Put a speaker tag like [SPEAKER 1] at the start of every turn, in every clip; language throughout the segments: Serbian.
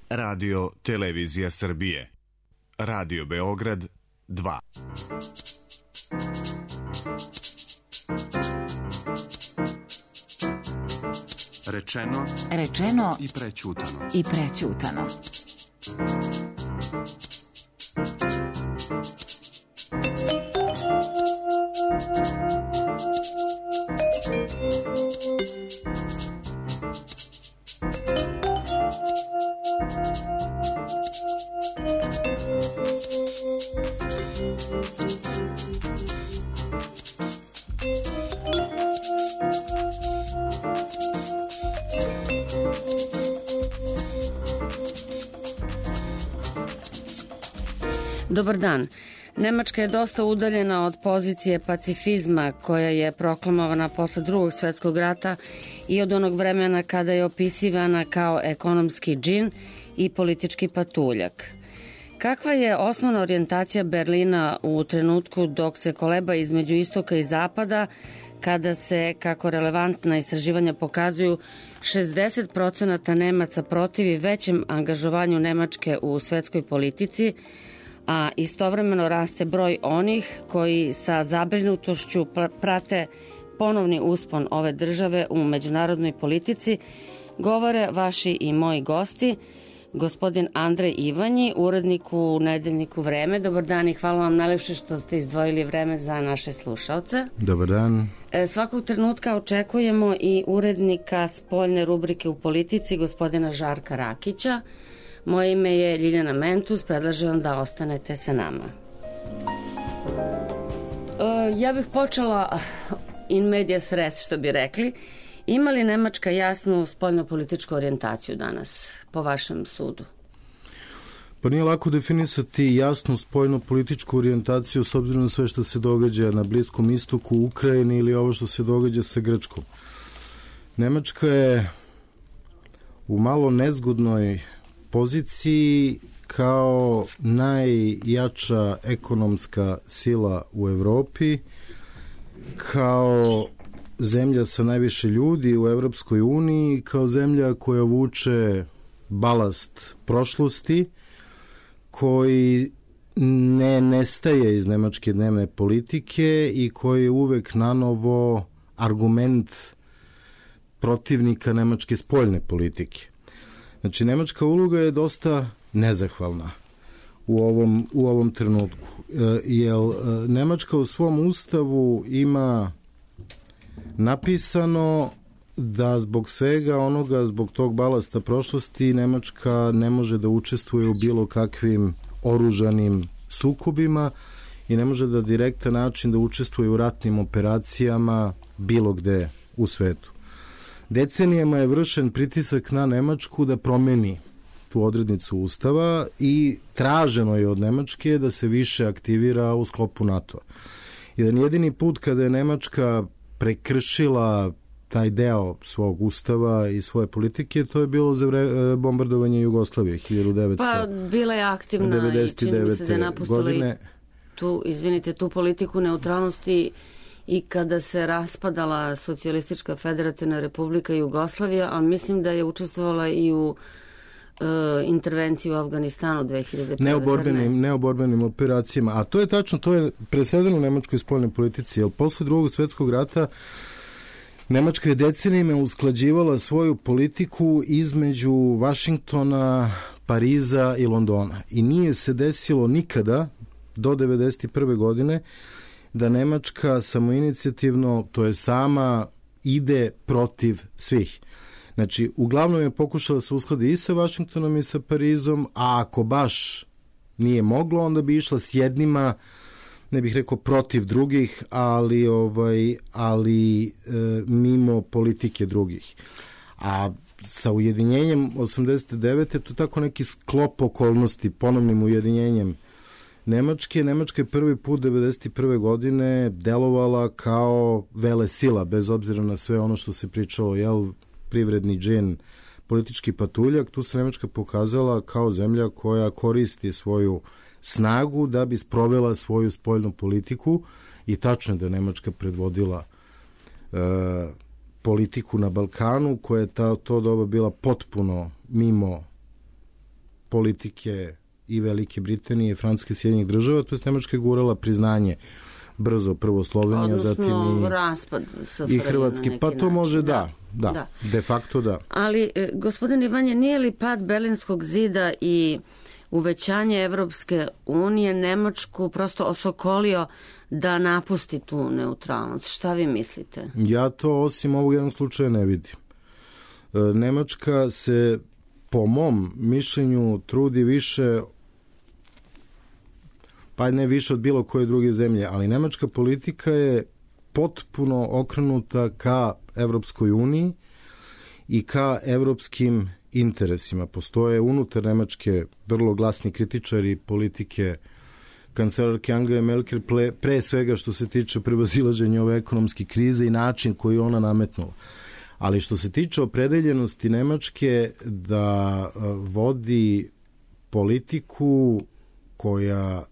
[SPEAKER 1] Radio Televizija Srbije. Radio Beograd 2.
[SPEAKER 2] Rečeno i prećutano.
[SPEAKER 3] Dobar dan. Nemačka je dosta udaljena od pozicije pacifizma koja je proklamovana posle Drugog svetskog rata i od onog vremena kada je opisivana kao ekonomski džin i politički patuljak. Kakva je osnovna orijentacija Berlina u trenutku dok se koleba između istoka i zapada, kada se, kako relevantna istraživanja pokazuju, 60% Nemaca protivi većem angažovanju Nemačke u svetskoj politici, a istovremeno raste broj onih koji sa zabrinutošću prate ponovni uspon ove države u međunarodnoj politici, govore vaši i moji gosti, gospodin Andrej Ivanji, urednik u nedeljniku Vreme. Dobar dan i hvala vam najlepše što ste izdvojili vreme za naše slušalce.
[SPEAKER 4] Dobar dan.
[SPEAKER 3] Svakog trenutka očekujemo i urednika spoljne rubrike u politici, gospodina Žarka Rakića. Moje ime je Ljiljana Mentus, predlažem vam da ostanete sa nama. Ja bih počela in medias res, što bi rekli. Ima li Nemačka jasnu spoljno-političku orijentaciju danas, po vašem sudu?
[SPEAKER 4] Pa nije lako definisati jasnu spoljno-političku orijentaciju s obzirom na sve što se događa na Bliskom istoku, u Ukrajini ili ovo što se događa sa Grčkom. Nemačka je u malo nezgodnoj poziciji kao najjača ekonomska sila u Evropi, kao zemlja sa najviše ljudi u Evropskoj uniji, kao zemlja koja vuče balast prošlosti, koji ne nestaje iz nemačke dnevne politike i koji je uvek nanovo argument protivnika nemačke spoljne politike. Znači, nemačka uloga je dosta nezahvalna u ovom trenutku, jer Nemačka u svom ustavu ima napisano da zbog svega onoga, zbog tog balasta prošlosti, Nemačka ne može da učestvuje u bilo kakvim oružanim sukobima i ne može da direktan način da učestvuje u ratnim operacijama bilo gde u svetu. Decenijama je vršen pritisak na Nemačku da promeni tu odrednicu ustava i traženo je od Nemačke da se više aktivira u sklopu NATO-a. Jedan jedini put kada je Nemačka prekršila taj deo svog ustava i svoje politike, to je bilo za bombardovanje Jugoslavije 1999.
[SPEAKER 3] Pa bila je aktivna i čini mi se da je napustila tu politiku neutralnosti i kada se raspadala Socijalistička federativna republika Jugoslavija, ali mislim da je učestvovala i u intervenciji u Afganistanu 2001.
[SPEAKER 4] Neoborbenim operacijama. A to je tačno, to je presedeno u nemačkoj spoljnoj politici, jer posle Drugog svetskog rata Nemačka je decenijima usklađivala svoju politiku između Vašingtona, Pariza i Londona. I nije se desilo nikada do 1991. godine da Nemačka samoinicijativno, to je sama, ide protiv svih. Znači, uglavnom je pokušala se uskladiti i sa Vašingtonom i sa Parizom, a ako baš nije moglo, onda bi išla s jednima, ne bih rekao protiv drugih, ali mimo politike drugih. A sa ujedinjenjem 89. to je tako neki sklop okolnosti, ponovnim ujedinjenjem Nemačka je prvi put 1991. godine delovala kao velesila, bez obzira na sve ono što se pričalo, privredni džin, politički patuljak. Tu se Nemačka pokazala kao zemlja koja koristi svoju snagu da bi sprovela svoju spoljnu politiku i tačno je da je Nemačka predvodila politiku na Balkanu, koja je to doba bila potpuno mimo politike i Velike Britanije, Francuske, Sjedinjenih Država, to je Nemačka je gurala priznanje brzo, prvo Slovenija, zatim i Hrvatski. Pa to može da, de facto da.
[SPEAKER 3] Ali, gospodin Ivanje, nije li pad Berlinskog zida i uvećanje Evropske unije Nemačku prosto osokolio da napusti tu neutralnost? Šta vi mislite?
[SPEAKER 4] Ja to osim ovog jednog slučaja ne vidim. Nemačka se, po mom mišljenju, trudi više, pa ne više od bilo koje druge zemlje, ali nemačka politika je potpuno okrenuta ka Evropskoj uniji i ka evropskim interesima. Postoje unutar Nemačke vrlo glasni kritičari politike kancelarke Angele Merkel, pre svega što se tiče prevazilaženja ove ekonomske krize i način koji ona nametnula. Ali što se tiče opredeljenosti Nemačke da vodi politiku koja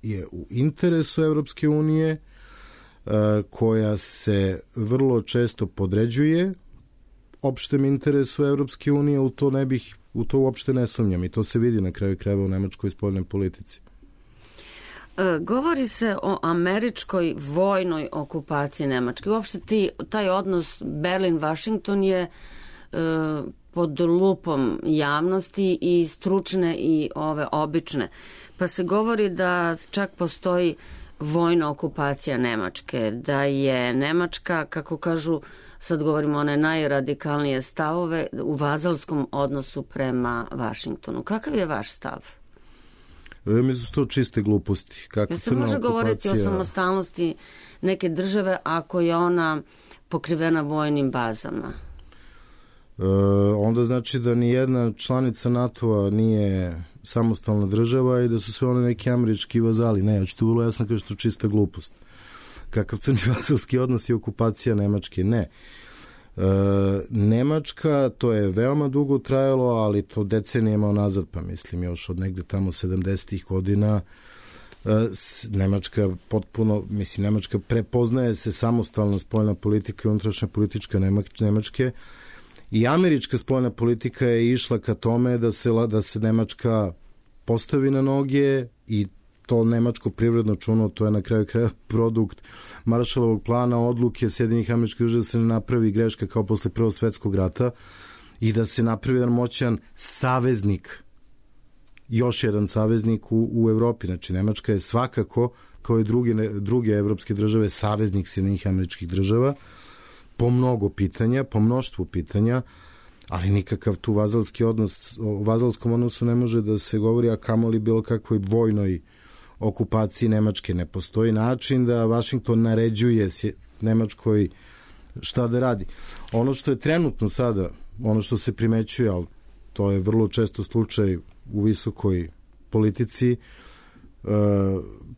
[SPEAKER 4] je u interesu Evropske unije, koja se vrlo često podređuje opštem interesu Evropske unije, u to uopšte ne sumnjam i to se vidi na kraju krajeva u nemačkoj spoljnoj politici.
[SPEAKER 3] Govori se o američkoj vojnoj okupaciji Nemačke. Uopšte taj odnos Berlin-Washington je pod lupom javnosti i stručne i ove obične. Pa se govori da čak postoji vojna okupacija Nemačke, da je Nemačka, kako kažu, sad govorimo one najradikalnije stavove, u vazalskom odnosu prema Vašingtonu. Kakav je vaš stav?
[SPEAKER 4] Mislim su to čiste gluposti.
[SPEAKER 3] Kako se može govoriti o samostalnosti neke države ako je ona pokrivena vojnim bazama?
[SPEAKER 4] Onda znači da ni jedna članica NATO-a nije samostalna država i da su sve one neki američki vazali. Ne, ja ću to vrlo jasno kažem što čista glupost. Kakav crni vazalski odnos i okupacija Nemačke? Ne. Nemačka, to je veoma dugo trajalo, ali to decenijama nazad, pa mislim još od negde tamo 70-ih godina, Nemačka potpuno, Nemačka prepoznaje se samostalna spoljna politika i unutrašnja politička Nemačke i američka spoljna politika je išla ka tome da se Nemačka postavi na noge i to nemačko privredno čuno, to je na kraju produkt Marshallovog plana, odluke Sjedinjenih Američkih Država da se ne napravi greška kao posle Prvog svetskog rata i da se napravi jedan moćan saveznik, još jedan saveznik u Evropi. Znači, Nemačka je svakako, kao i druge evropske države, saveznik Sjedinjenih Američkih Država po mnogo pitanja, po mnoštvu pitanja, ali nikakav tu vazalski odnos, o vazalskom odnosu ne može da se govori, a kamoli bilo kakvoj vojnoj okupaciji Nemačke. Ne postoji način da Vašington naređuje Nemačkoj šta da radi. Ono što je trenutno sada, ono što se primećuje, ali to je vrlo često slučaj u visokoj politici,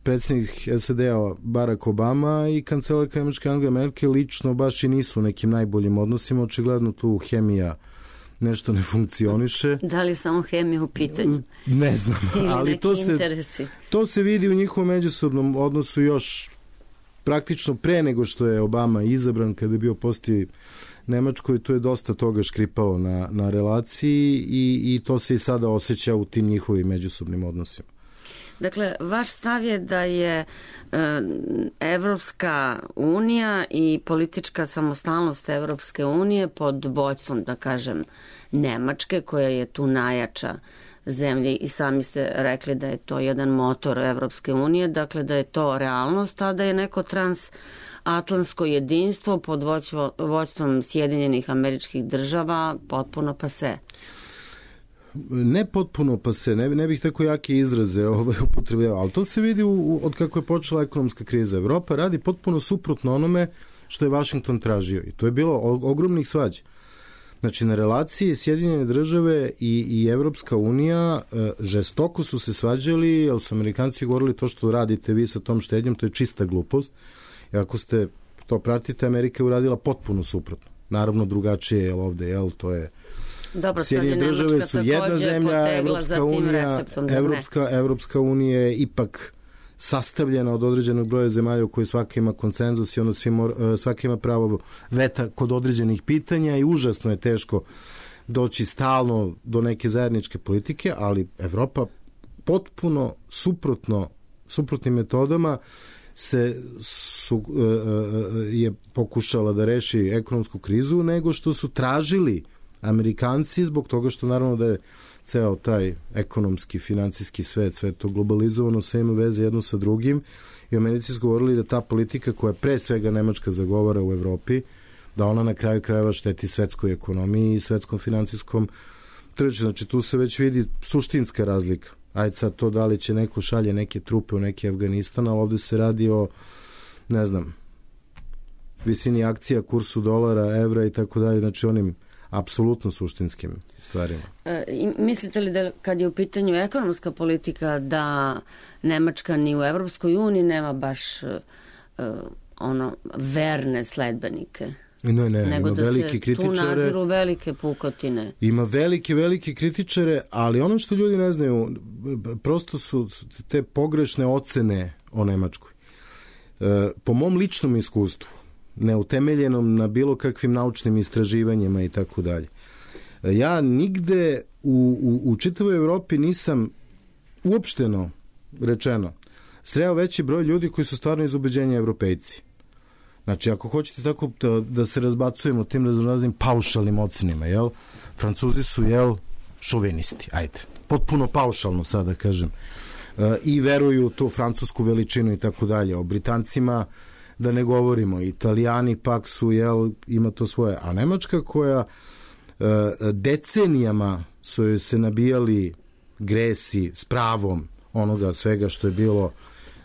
[SPEAKER 4] predsjednik SAD-a Barack Obama i kancelarka Nemačke Angela Merkel lično baš i nisu u nekim najboljim odnosima. Očigledno tu hemija nešto ne funkcioniše.
[SPEAKER 3] Da li samo hemija u pitanju?
[SPEAKER 4] Ne znam, ali to se vidi u njihovom međusobnom odnosu još praktično pre nego što je Obama izabran, kada je bio posti Nemačkoj, tu je dosta toga škripalo na relaciji i to se i sada osjeća u tim njihovim međusobnim odnosima.
[SPEAKER 3] Dakle, vaš stav je da je Evropska unija i politička samostalnost Evropske unije pod vođstvom, da kažem, Nemačke, koja je tu najjača zemlja i sami ste rekli da je to jedan motor Evropske unije, dakle da je to realnost, a da je neko transatlantsko jedinstvo pod vođstvom Sjedinjenih Američkih Država potpuno pase.
[SPEAKER 4] Ne potpuno pase, ne bih tako jake izraze upotrebljavao, ali to se vidi od kako je počela ekonomska kriza. Evropa radi potpuno suprotno onome što je Vašington tražio i to je bilo ogromnih svađa. Znači, na relaciji Sjedinjene Države i Evropska unija žestoko su se svađali, jer su Amerikanci govorili to što radite vi sa tom štednjom, to je čista glupost. I ako ste to pratite, Amerika je uradila potpuno suprotno. Naravno, drugačije je ovde, to je...
[SPEAKER 3] Dobro,
[SPEAKER 4] Sjedinjene Države su jedna zemlja, Evropska unija je ipak sastavljena od određenog broja zemalja u kojoj svaka ima konsenzus i onda svaka ima pravo veta kod određenih pitanja i užasno je teško doći stalno do neke zajedničke politike, ali Evropa potpuno suprotnim metodama je pokušala da reši ekonomsku krizu nego što su tražili Amerikanci, zbog toga što naravno da je ceo taj ekonomski, financijski svet, sve to globalizovano, sve ima veze jedno sa drugim, i Americi su govorili da ta politika koja pre svega Nemačka zagovara u Evropi, da ona na kraju krajeva šteti svetskoj ekonomiji i svetskom financijskom tržištu. Znači tu se već vidi suštinska razlika. Ajde sad to da li će neko šalje neke trupe u neki Afganistan, ali ovde se radi o, ne znam, visini akcija, kursu dolara, evra i tako dalje, znači onim apsolutno suštinskim stvarima.
[SPEAKER 3] Mislite li da kad je u pitanju ekonomska politika da Nemačka ni u Evropskoj uniji nema baš verne sledbenike?
[SPEAKER 4] Ne,
[SPEAKER 3] nego
[SPEAKER 4] ima
[SPEAKER 3] da
[SPEAKER 4] velike kritičare.
[SPEAKER 3] Tu naziru velike pukotine.
[SPEAKER 4] Ima velike kritičare, ali ono što ljudi ne znaju, prosto su te pogrešne ocene o Nemačkoj. Po mom ličnom iskustvu, neutemeljenom na bilo kakvim naučnim istraživanjima i tako dalje, ja nigde u čitavoj Evropi nisam uopšteno rečeno sreo veći broj ljudi koji su stvarno iz ubeđenja Evropejci. Znači, ako hoćete tako da se razbacujemo tim raznoraznim paušalnim ocenima, jel? Francuzi su, šovinisti, ajde. Potpuno paušalno sada kažem. I veruju u tu francusku veličinu i tako dalje. O Britancima da ne govorimo. Italijani pak su, ima to svoje. A Nemačka koja decenijama su joj se nabijali gresi s pravom onoga svega što je bilo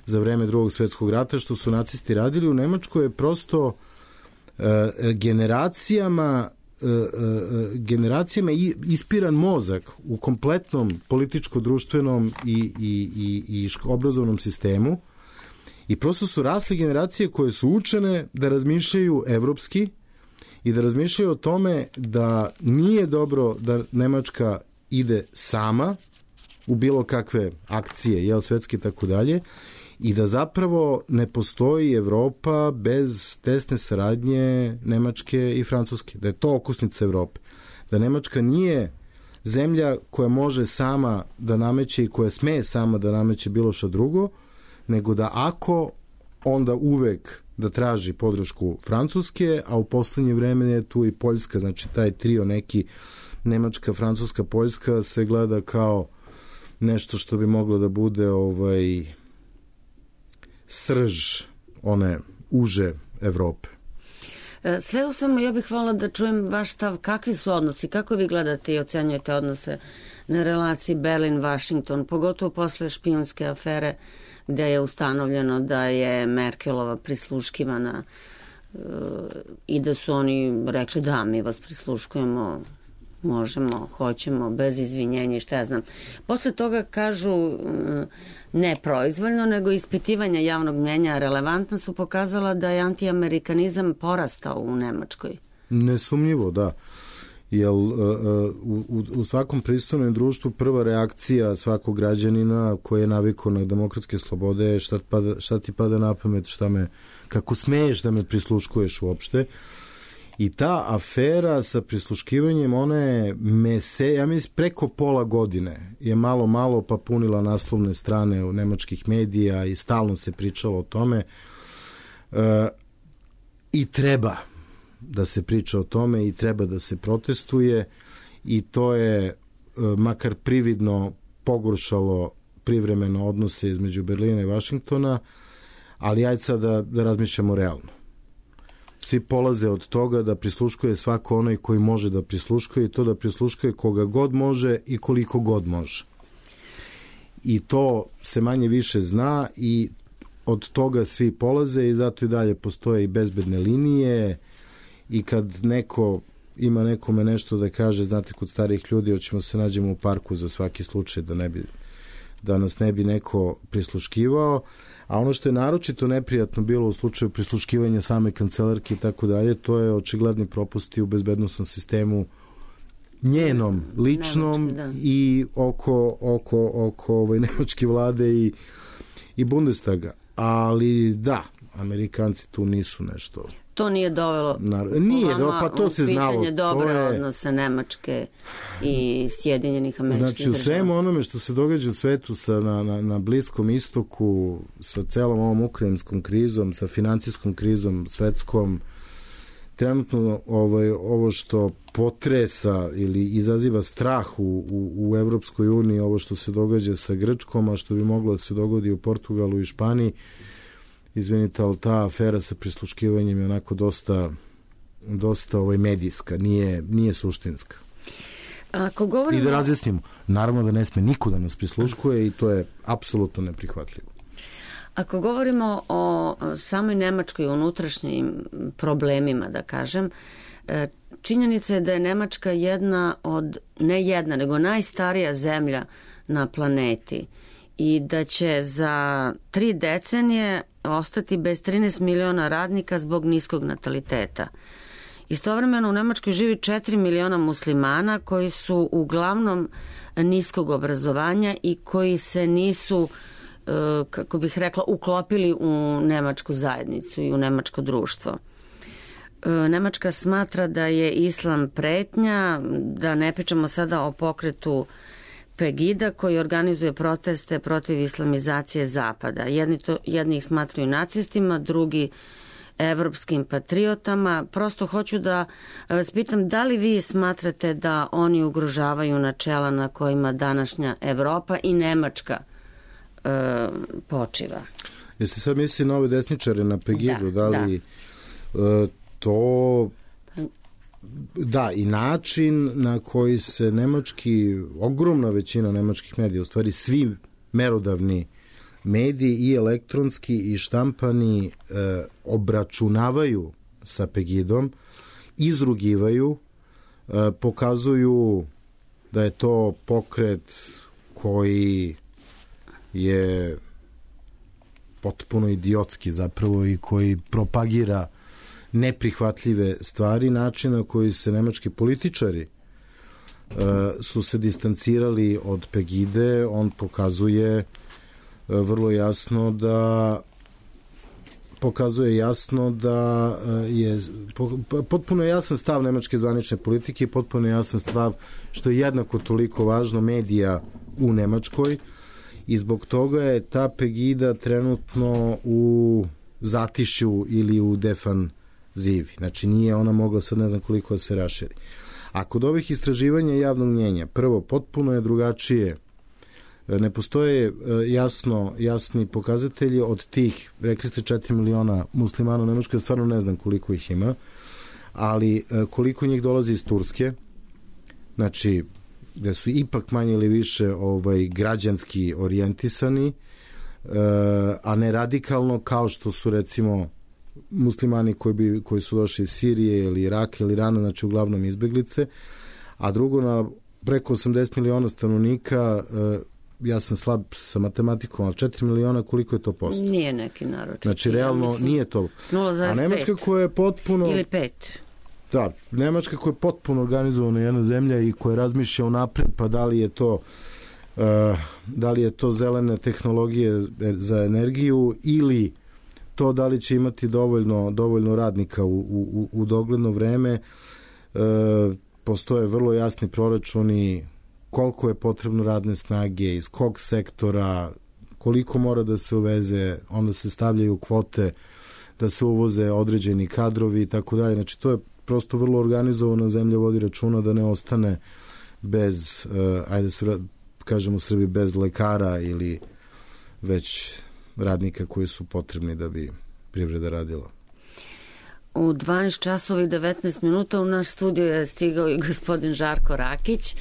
[SPEAKER 4] za vreme Drugog svjetskog rata, što su nacisti radili u Nemačkoj, je prosto generacijama ispiran mozak u kompletnom političko-društvenom i obrazovnom sistemu, i prosto su rasle generacije koje su učene da razmišljaju evropski i da razmišljaju o tome da nije dobro da Nemačka ide sama u bilo kakve akcije, svetske i tako dalje, i da zapravo ne postoji Evropa bez tesne saradnje Nemačke i Francuske, da je to okosnica Evrope, da Nemačka nije zemlja koja može sama da nameće i koja sme sama da nameće bilo šta drugo, nego da ako, onda uvek da traži podršku Francuske, a u poslednje vreme je tu i Poljska, znači taj trio neki Nemačka, Francuska, Poljska se gleda kao nešto što bi moglo da bude srž one uže Evrope.
[SPEAKER 3] Sve u svemu, ja bih voljela da čujem vaš stav. Kakvi su odnosi? Kako vi gledate i ocenjujete odnose na relaciji Berlin-Washington, pogotovo posle špijunske afere gde je ustanovljeno da je Merkelova prisluškivana i da su oni rekli da, mi vas prisluškujemo, možemo, hoćemo, bez izvinjenja i šta ja znam. Posle toga kažu, ne proizvoljno, nego ispitivanja javnog mnjenja relevantna su pokazala da je antiamerikanizam porastao u Nemačkoj.
[SPEAKER 4] Nesumnjivo, da. Jer u svakom pristojnom društvu prva reakcija svakog građanina koji je navikao na demokratske slobode je šta ti pada na pamet, kako smeješ da me prisluškuješ uopšte. I ta afera sa prisluškivanjem, ona je ja mislim preko pola godine je malo pa punila naslovne strane u nemačkih medija i stalno se pričalo o tome. I treba da se priča o tome i treba da se protestuje, i to je makar prividno pogoršalo privremeno odnose između Berlina i Vašingtona, ali ajde sad da razmišljamo realno. Svi polaze od toga da prisluškuje svako onaj koji može da prisluškuje, i to da prisluškuje koga god može i koliko god može. I to se manje više zna i od toga svi polaze, i zato i dalje postoje i bezbedne linije, i kad neko ima nekome nešto da kaže, znate, kod starih ljudi hoćemo se nađemo u parku za svaki slučaj da nas ne bi neko prisluškivao. A ono što je naročito neprijatno bilo u slučaju prisluškivanja same kancelarke i tako dalje, to je očigledni propusti u bezbednosnom sistemu njenom, ličnom, i oko nemačke vlade i Bundestaga. Ali da, Amerikanci tu nisu nešto.
[SPEAKER 3] to nije dovelo
[SPEAKER 4] pa to se znalo.
[SPEAKER 3] Pitanje dobre odnose Nemačke i Sjedinjenih Američkih Država.
[SPEAKER 4] Znači, u svemu onome što se događa u svetu na Bliskom istoku, sa celom ovom ukrajinskom krizom, sa financijskom krizom svetskom, trenutno ovo što potresa ili izaziva strah u Evropskoj uniji, ovo što se događa sa Grčkom, a što bi moglo da se dogodi u Portugalu i Španiji, izvinite, ali ta afera sa prisluškivanjem je onako dosta medijska, nije suštinska. I da razjasnimo, naravno da ne sme niko da nas prisluškuje i to je apsolutno neprihvatljivo.
[SPEAKER 3] Ako govorimo o samoj Nemačkoj unutrašnjim problemima, da kažem, činjenica je da je Nemačka nego najstarija zemlja na planeti i da će za 3 decenije ostati bez 13 miliona radnika zbog niskog nataliteta. Istovremeno u Nemačkoj živi 4 miliona muslimana koji su uglavnom niskog obrazovanja i koji se nisu, kako bih rekla, uklopili u nemačku zajednicu i u nemačko društvo. Nemačka smatra da je islam pretnja, da ne pričamo sada o pokretu Pegida koji organizuje proteste protiv islamizacije Zapada. Jedni ih smatraju nacistima, drugi evropskim patriotama. Prosto hoću da vas pitam, da li vi smatrate da oni ugrožavaju načela na kojima današnja Evropa i Nemačka počiva?
[SPEAKER 4] Jeste sad misli na ove desničare na Pegidu? To... Da, i način na koji se ogromna većina nemačkih medija, u stvari svi merodavni mediji i elektronski i štampani obračunavaju sa Pegidom, izrugivaju, pokazuju da je to pokret koji je potpuno idiotski zapravo i koji propagira neprihvatljive stvari, način na koji se nemački političari su se distancirali od Pegide. On pokazuje vrlo jasno da je potpuno jasan stav nemačke zvanične politike i potpuno jasan stav, što je jednako toliko važno, medija u Nemačkoj, i zbog toga je ta Pegida trenutno u zatišju ili u defanzivi. Znači nije ona mogla sad ne znam koliko da se raširi. A kod ovih istraživanja javnog mnjenja, prvo, potpuno je drugačije. Ne postoje jasni pokazatelji od tih, rekli ste 4 miliona muslimana u Nemačkoj, stvarno ne znam koliko ih ima, ali koliko njih dolazi iz Turske, znači gde su ipak manje ili više građanski orijentisani, a ne radikalno kao što su recimo muslimani koji su došli iz Sirije ili Iraka ili Irana, znači uglavnom izbeglice. A drugo, na preko 80 miliona stanovnika, ja sam slab sa matematikom, ali 4 miliona, koliko je to posto?
[SPEAKER 3] Nije neki naročit.
[SPEAKER 4] Znači realno nije to.
[SPEAKER 3] 0,5.
[SPEAKER 4] A Nemačka koja je potpuno...
[SPEAKER 3] Ili 5.
[SPEAKER 4] Da, Nemačka koja je potpuno organizovana jedna zemlja i koja razmišlja unapred, pa da li je to zelene tehnologije za energiju ili to da li će imati dovoljno radnika u dogledno vreme. Postoje vrlo jasni proračuni koliko je potrebno radne snage, iz kog sektora, koliko mora da se uveze, onda se stavljaju kvote da se uvoze određeni kadrovi i tako dalje. Znači to je prosto vrlo organizovana zemlja, vodi računa da ne ostane bez, ajde se kažemo u Srbiji, bez lekara ili već radnika koji su potrebni da bi privreda radila.
[SPEAKER 3] U 12 časova i 19 minuta u naš studio je stigao i gospodin Žarko Rakić,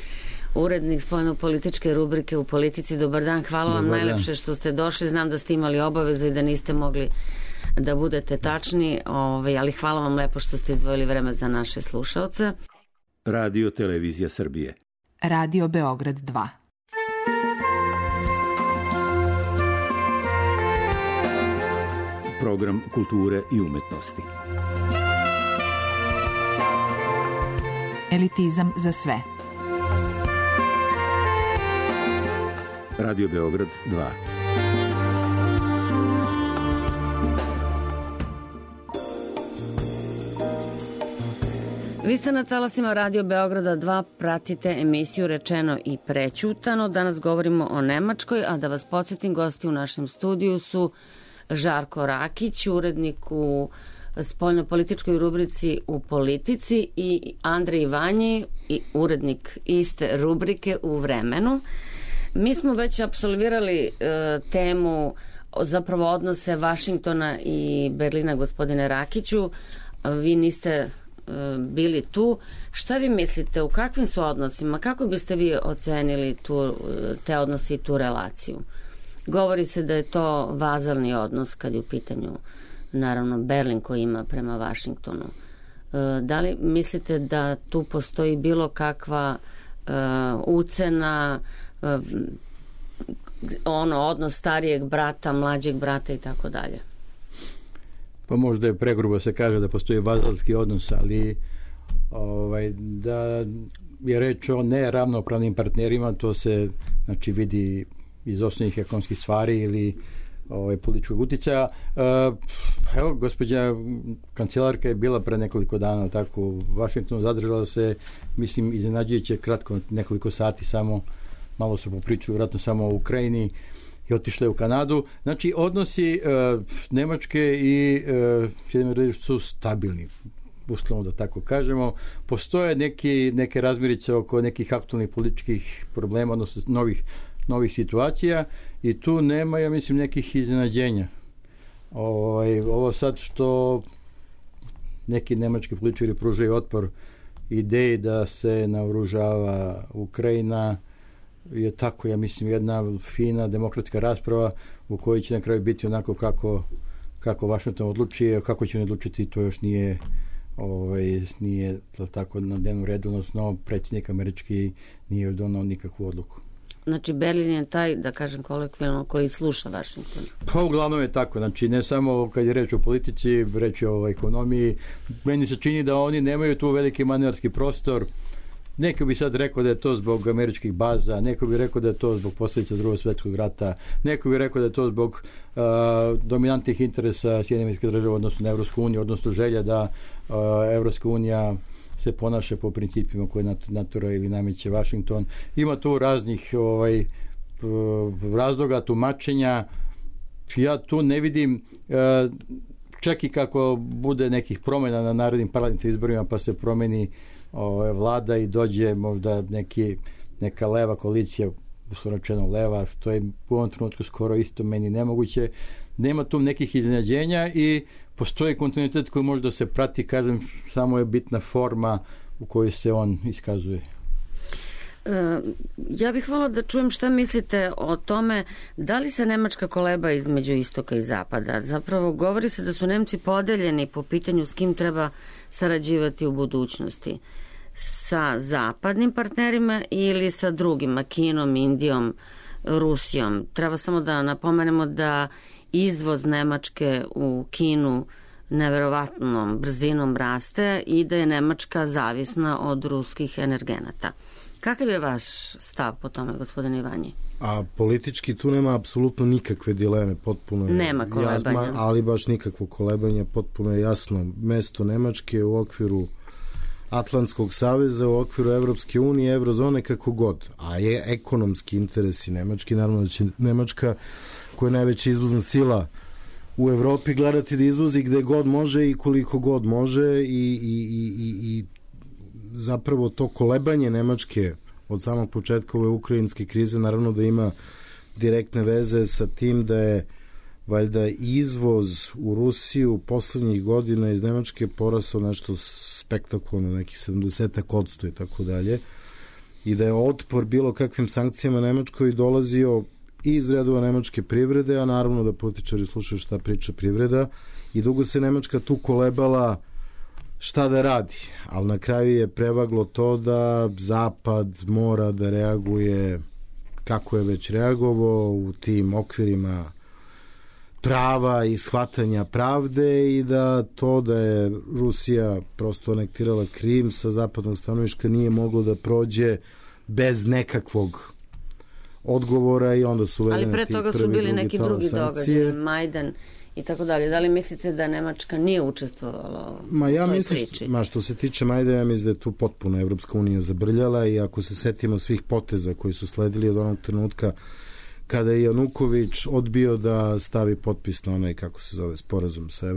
[SPEAKER 3] urednik spoljno-političke rubrike u Politici. Dobar dan, hvala vam najlepše što ste došli. Znam da ste imali obaveze i da niste mogli da budete tačni, ali hvala vam lepo što ste izdvojili vreme za naše slušaoce.
[SPEAKER 5] Radio Televizija Srbije.
[SPEAKER 2] Radio Beograd 2.
[SPEAKER 5] Program kulture i umetnosti.
[SPEAKER 2] Elitizam za sve.
[SPEAKER 5] Radio Beograd 2.
[SPEAKER 3] Vi ste na talasima Radio Beograda 2, pratite emisiju Rečeno i prećutano. Danas govorimo o Nemačkoj, a da vas podsjetim, gosti u našem studiju su Žarko Rakić, urednik u spoljnopolitičkoj rubrici U politici, i Andrej Ivanji, urednik iste rubrike u Vremenu. Mi smo već apsolvirali temu, zapravo odnose Vašingtona i Berlina, gospodine Rakiću. Vi niste bili tu. Šta vi mislite, u kakvim su odnosima, kako biste vi ocenili te odnose i tu relaciju? Govori se da je to vazalni odnos kad je u pitanju naravno Berlin koji ima prema Vašingtonu. Da li mislite da tu postoji bilo kakva ucena, odnos starijeg brata, mlađeg brata i tako dalje?
[SPEAKER 6] Pa možda je pregrubo se kaže da postoji vazalski odnos, ali da je reč o neravnopravnim partnerima, to se znači vidi iz osnovnih ekonomskih stvari ili političkog uticaja. Evo, gospođa kancelarka je bila pre nekoliko dana tako u Vašingtonu, zadržala se, mislim, iznenađujuće kratko, nekoliko sati samo, malo su popričali vjerojatno samo o Ukrajini i otišle u Kanadu. Znači, odnosi Nemačke i su stabilni, uslovno da tako kažemo. Postoje neke razmirice oko nekih aktualnih političkih problema, odnosno novih situacija, i tu nema, ja mislim, nekih iznenađenja. Ovo sad što neki nemački političari pružaju otpor ideji da se naoružava Ukrajina je tako, ja mislim, jedna fina demokratska rasprava u kojoj će na kraju biti onako kako Vašington odluči, kako će on odlučiti, to još nije tako na dnevnom redu, odnosno predsjednik američki nije donao nikakvu odluku.
[SPEAKER 3] Znači, Berlin je taj, da kažem kolokvijalno, koji sluša Vašington.
[SPEAKER 6] Pa uglavnom je tako, znači ne samo kad je reč o politici, reč je o ekonomiji. Meni se čini da oni nemaju tu veliki manevarski prostor. Neko bi sad rekao da je to zbog američkih baza, neko bi rekao da je to zbog posljedica Drugog svjetskog rata, neko bi rekao da je to zbog dominantnih interesa Sjedinjenih Država odnosno na Evropsku uniju, odnosno želja da Evropska unija se ponaša po principima koje natura ili nameće Vašington. Ima tu raznih razloga, tumačenja. Ja tu ne vidim, čak i kako bude nekih promjena na narednim parlamentarnim izborima, pa se promeni vlada i dođe možda neka leva koalicija, uslovno leva, što je u ovom trenutku skoro isto meni nemoguće. Nema tu nekih iznenađenja i postoji kontinuitet koji može da se prati, kažem, samo je bitna forma u kojoj se on iskazuje.
[SPEAKER 3] Ja bih voljela da čujem šta mislite o tome, da li se Nemačka koleba između istoka i zapada. Zapravo govori se da su Nemci podeljeni po pitanju s kim treba sarađivati u budućnosti. Sa zapadnim partnerima ili sa drugima, Kinom, Indijom, Rusijom. Treba samo da napomenemo da izvoz Nemačke u Kinu neverovatnom brzinom raste i da je Nemačka zavisna od ruskih energenata. Kakav je vaš stav po tome, gospodine Ivanji?
[SPEAKER 4] A politički tu nema apsolutno nikakve dileme, potpuno je
[SPEAKER 3] nema kolebanja.
[SPEAKER 4] Jasno, ali baš nikakvo kolebanja, potpuno je jasno. Mesto Nemačke u okviru Atlantskog saveza, u okviru Evropske unije, Eurozone, kako god. A je ekonomski interesi Nemački, naravno da će Nemačka, koja je najveća izvozna sila u Evropi, gledati da izvozi gde god može i koliko god može i zapravo to kolebanje Nemačke od samog početka ove ukrajinske krize naravno da ima direktne veze sa tim da je valjda izvoz u Rusiju poslednjih godina iz Nemačke porasao nešto spektakularno, nekih 70% i tako dalje, i da je otpor bilo kakvim sankcijama Nemačkoj dolazio i iz redova nemačke privrede, a naravno da političari slušaju šta priča privreda, i dugo se Nemačka tu kolebala šta da radi, ali na kraju je prevaglo to da Zapad mora da reaguje kako je već reagovao u tim okvirima prava i shvatanja pravde, i da to da je Rusija prosto anektirala Krim sa zapadnog stanovišta nije moglo da prođe bez nekakvog odgovora i onda su uvedene
[SPEAKER 3] ali pre toga su bili neki drugi događaji, Majdan i tako dalje. Da li mislite da Nemačka nije učestvovala u toj priči?
[SPEAKER 4] Što se tiče Majdana, ja mislim da je tu potpuno Evropska unija zabrljala i ako se setimo svih poteza koji su sledili od onog trenutka kada je Januković odbio da stavi potpis na onaj, kako se zove, sporazum sa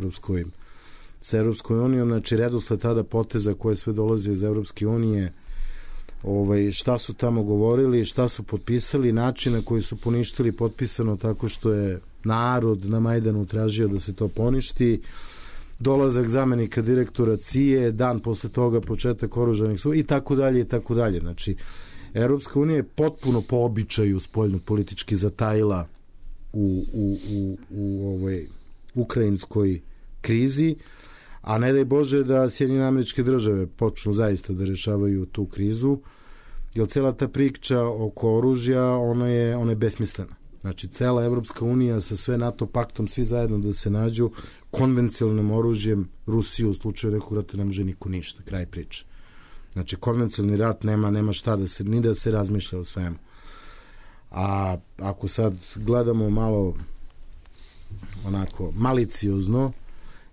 [SPEAKER 4] Evropskom unijom, znači redosled tada poteza koje sve dolaze iz Evropske unije, šta su tamo govorili, šta su potpisali, način na koji su poništili potpisano tako što je narod na Majdanu tražio da se to poništi, dolazak zamenika direktora CIA, dan posle toga početak oružanih sukoba i tako dalje i tako dalje. Znači, Evropska unija je potpuno po običaju spoljno-politički zatajila u ovoj ukrajinskoj krizi, a ne daj Bože da Sjedinjene Američke Države počnu zaista da rešavaju tu krizu, jer cela ta priča oko oružja, ona je besmislena. Znači, cela Evropska unija sa sve NATO paktom, svi zajedno da se nađu konvencionalnim oružjem Rusiju u slučaju nekog rata ne može niko ništa, kraj priče. Znači, konvencionalni rat nema šta ni da se razmišlja o svemu. A ako sad gledamo malo onako maliciozno